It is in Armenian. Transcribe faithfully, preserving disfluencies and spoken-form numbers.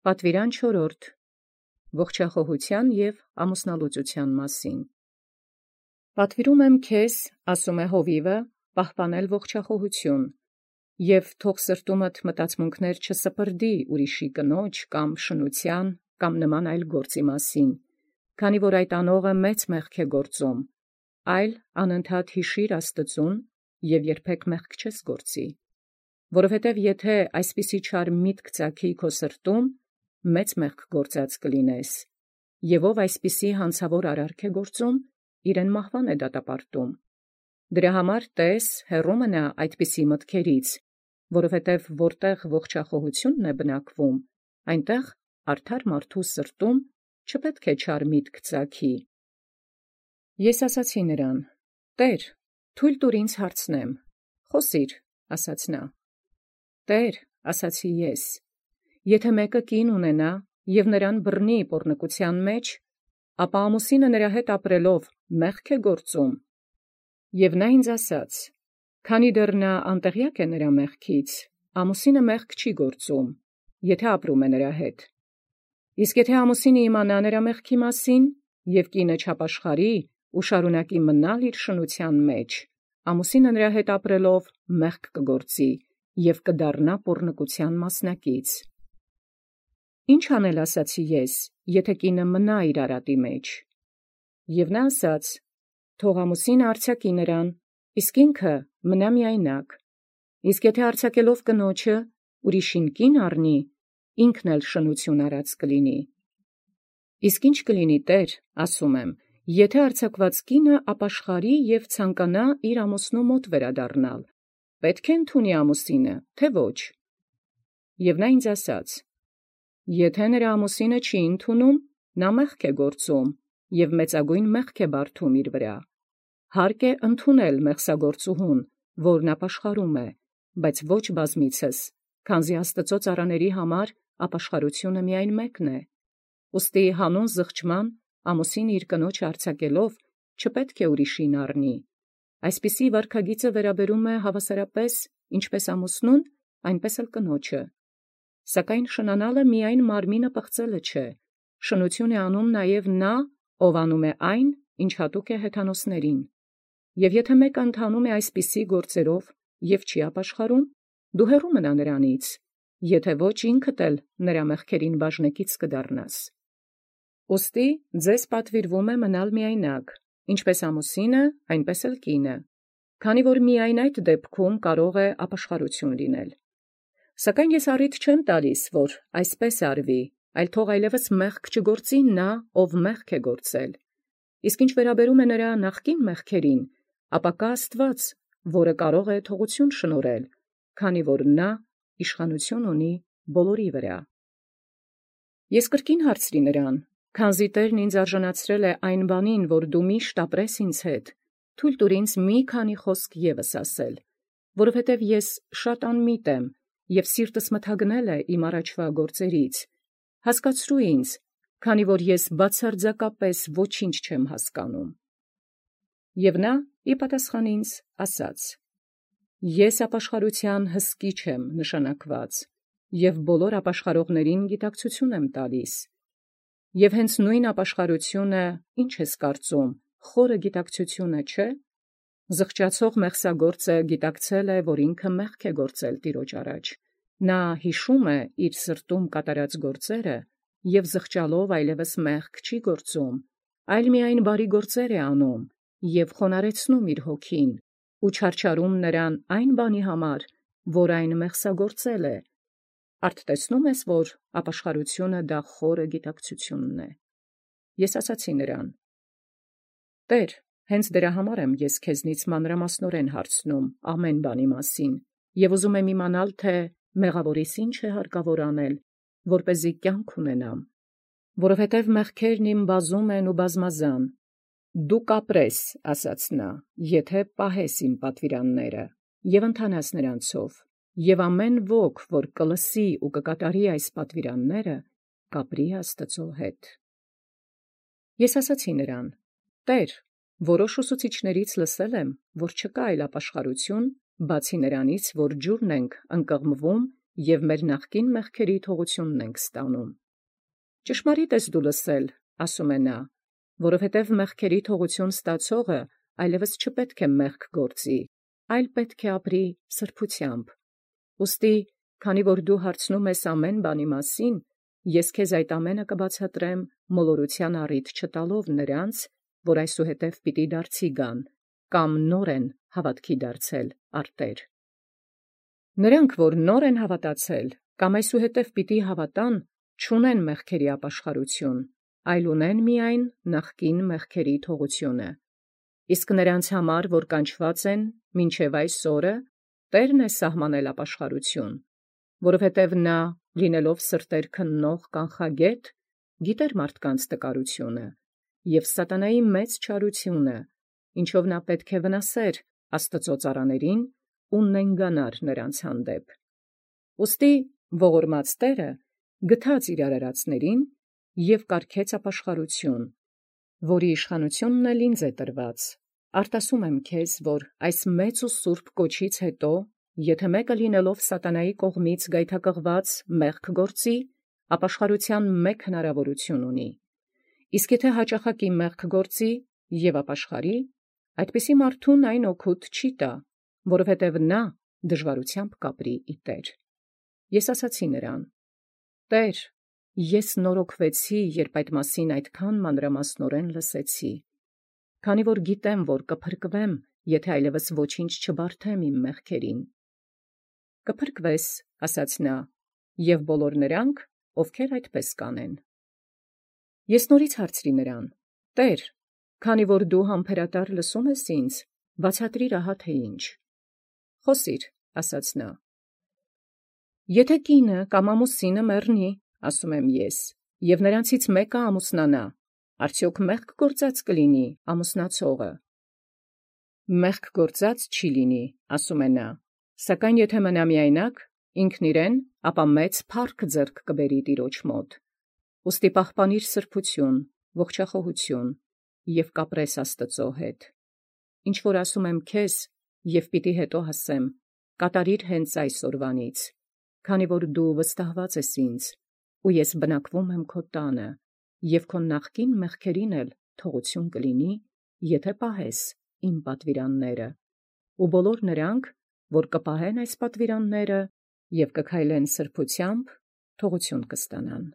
Պատվիրան չորրորդ. ողջախոհութեան և ամուսնալուծութեան մասին։ Պատվիրում եմ քեզ, ասում է հովիվը, պահպանել ողջախոհութիւն, և թող սրտումդ մտածմունքներ չսպրդի ուրիշի կնոջ կամ շնութեան կամ նման այլ գործի մասին, քանի որ այդ անողը մեծ մեղք է գործում, այլ անընդհատ յիշիր Աստուծուն և երբեք մեղք չես գործի, որովհետև եթե այսպիսի չար միտք ծագի քո սրտում, մեծ մեղք գործած կլինես, և ով այսպիսի հանցավոր արարք է գործում, իրեն մահվան է դատապարտում։ Դրա համար տես հեռու մնա այդպիսի մտքերից, որովհետև որտեղ ողջախոհութիւնն է բնակվում, այնտեղ արդար մարդու սրտում չպետք է չար միտք ծագի։ Ես ասացի նրան. «Տէր, թույլ տուր ինձ հարցնեմ»։ «Խոսիր», ասաց նա։ «Տէր, ասացի ես, եթե մեկը կին ունենա և նրան բռնի պոռնկութեան մեջ, ապա ամուսինը նրա հետ ապրելով մեղք է գործում։ Եւ նա ինձ ասաց. քանի դեռ նա անտեղյակ է նրա մեղքից, ամուսինը մեղք չի գործում, եթե ապրում է նրա հետ։ Իսկ եթե ամուսինը իմանա նրա մեղքի մասին, և կինը չապաշխարի ու շարունակի մնալ իր շնութեան մեջ, ամուսինը նրա հետ ապրելով մեղք կգործի և կդառնա պոռնկութեան մասնակից։ Ի՞նչ անել, ասացի ես, եթե կինը մնա իր արատի մեջ։ Եւ նա ասաց. թող ամուսինը արձակի նրան, իսկ ինքը մնա միայնակ։ Իսկ եթե արձակելով կնոջը ուրիշին կին առնի, ինքն էլ շնութիւն արած կլինի։ Իսկ ի՞նչ կլինի, Տէր, ասում եմ, եթե արձակված կինը ապաշխարի և ցանկանա իր ամուսնու մոտ վերադառնալ, պետք է ընդունի ամուսինը, թե ոչ։ Եւ նա ինձ ասաց. եթե նրա ամուսինը չի ընդունում, նա մեղք է գործում և մեծագոյն մեղք է բարդում իր վրա։ Հարկ է ընդունել մեղսագործուհուն, որն ապաշխարում է, բայց ոչ բազմիցս, քանզի Աստուծոյ ծառաների համար ապաշխարությունը միայն մեկն է։ Ուստի հանուն զղջման ամուսինը իր կնոջը արձակելով չպետք է ուրիշին առնի։ Այսպիսի վարքագիծը վերաբերում է հավասարապես ինչպես ամուսնուն, այնպես էլ կնոջը։ Սակայն շնանալը միայն մարմինը պղծելը չէ, շնութիւն է անում նաև նա, ով անում է այն, ինչ հատուկ է հեթանոսներին։ Եվ եթե մեկը ընթանում է այսպիսի գործերով և չի ապաշխարում, դու հեռու մնա նրանից, եթե ոչ ինքդ էլ նրա մեղքերին բաժնեկից կդառնաս։ Ուստի ձեզ պատվիրվում է մնալ միայնակ, ինչպես ամուսինը, այնպես էլ կինը, քանի որ միայն այդ դեպքում կարող է ապաշխարութիւն լինել։ Սակայն ես առիթ չեմ տալիս, որ այսպես արվի, այլ թող այլևս մեղք չգործի նա, ով մեղք է գործել։ Իսկ ինչ վերաբերում է նրա նախկին մեղքերին, ապա կա Աստուած, որը կարող է թողութիւն շնորհել, քանի որ նա իշխանութիւն ունի բոլորի վրա։ Ես կրկին հարցրի նրան. «Քանզի Տէրն ինձ արժանացրել է այն բանին, որ դու միշտ ապրես ինձ հետ, թույլ տուր ինձ մի քանի խոսք ևս ասել, որովհետև ես շատ անմիտ եմ, և սիրտս մթագնել է իմ առաջվա գործերից. հասկացրու ինձ, քանի որ ես բացարձակապես ոչինչ չեմ հասկանում»։ Եւ նա ի պատասխան ինձ ասաց. «Ես ապաշխարութեան հսկիչ եմ նշանակված, և բոլոր ապաշխարողացն գիտակցութիւն եմ տալիս։ Եվ հենց նույն ապաշխարութիւնը, ի՞նչ ես կարծում, խորը գիտակցութիւնը չէ։ Զղջացող մեղսագործը գիտակցել է, որ ինքը մեղք է գործել Տիրոջ առաջ. նա յիշում է իր սրտում կատարած գործերը և զղջալով այլևս մեղք չի գործում, այլ միայն բարի գործեր է անում և խոնարհեցնում իր հոգին ու չարչարում նրան այն բանի համար, որ այն մեղսագործել է։ Արդ տեսնո՞ւմ ես, որ ապաշխարութիւնը դա խորը գիտակցութիւնն է։ Ես ասացի նրան. «Տէր, հենց դրա համար եմ ես քեզնից մանրամասնորեն հարցնում ամեն բանի մասին, և ուզում եմ իմանալ, թե մեղաւորիս ի՞նչ է հարկավոր անել, որպեսզի կյանք ունենամ, որովհետև մեղքերն իմ բազում են ու բազմազան։ Դու կապրես, ասաց նա, եթե պահես իմ պատվիրանները և ընթանաս նրանցով, և ամեն ոք, որ կլսի ու կկատարի այս պատվիրանները, կապրի Աստուծոյ հետ»։ Ես ասացի նրան. «Տէր, որոշ ուսուցիչներից լսել եմ, որ չկա այլ ապաշխարութիւն, բացի նրանից, որ ջուրն ենք ընկղմվում և մեր նախկին մեղքերի թողությունն ենք ստանում։ Ճշմարիտ ես դու լսել, ասում է նա, որովհետև մեղքերի թողություն ստացողը այլևս չպետք է մեղք գործի, այլ պետք է ապրի սրբությամբ։ Ուստի, քանի որ դու հարցնում ես ամեն բանի մասին, ես քեզ այդ ամենը կբացատրեմ մոլորության առիթ չտալով նրանց, որ այսուհետև պիտի դարձի գան, կամ նոր են հավատքի դարձել արտեր։ Նրանք, որ նոր են հավատացել, կամ այսուհետև պիտի հավատան, չունեն մեղքերի ապաշխարություն, այլ ունեն միայն նախկին մեղքերի թողությունը։ Իսկ նրանց համար, որ կանչված են մինչև այս օրը, Տերն է սահմանել ապաշխարություն, որովհետև նա, լինելով սրտեր քննող կանխագետ, գիտեր մարդկանց տկարությունը և սատանայի մեծ չարությունը, ինչով նա պետք է վնասեր Աստծո ծառաներին ու նենգանար նրանց հանդեպ։ Ուստի ողորմած Տերը գթած իր արարածներին և կարգեց ապաշխարություն, որի իշխանությունն էլ ինձ է տրված։ Արտասում եմ քեզ, որ այս մեծ ու սուրբ կոչից հետո, եթե մեկը լինելով սատանայի կողմից գայթակղված մեղք գործի, ապաշխարության մեկ հնարավորություն ունի։ Իսկ եթե հաճախակի մեղք գործի և ապաշխարի, այդպիսի մարդուն այն օգուտ չի տա, որովհետև նա դժվարությամբ կապրի ի Տեր։ Ես ասացի նրան. «Տեր, ես նորոգվեցի, երբ այդ մասին այդքան մանրամասնորեն լսեցի, քանի որ գիտեմ, որ կփրկվեմ, եթե այլևս ոչինչ չբարդեմ իմ մեղքերին»։ «Կփրկվես, ասաց նա, և բոլոր նրանք, ովքեր այդպես կանեն»։ Ես նորից հարցրի նրան. «Տեր, քանի որ դու համբերատար լսում ես ինձ, բացատրիր ահա թե ինչ»։ «Խոսիր, ասաց նա. եթե կինը կամ ամուսինը մեռնի, ասում եմ ես, և նրանցից մեկը ամուսնանա, արդյոք մեղք գործած կլինի ամուսնացողը։ Մեղք գործած չի լինի, ասում է նա, սակայն եթե մնա միայնակ, ինքն իրեն, ապա մեծ փառք ձեռք կբերի Տիրոջ մոտ։ Ուստի պահպանիր սրբություն, ողջախոհություն և կապրես Աստծո հետ։ Ինչ որ ասում եմ քեզ, և պիտի հետո ասեմ, կատարիր հենց այս օրվանից, քանի որ դու վստահված ես ինձ, ու ես բնակվում եմ քո տանը, և քո նախկին մեղքերին էլ թողություն կլինի, եթե պահես իմ պատվիրանները, ու բոլոր նրանք, որ կպահեն այս պատվիրանները և կքայլեն սրբությամբ, թողություն կստանան։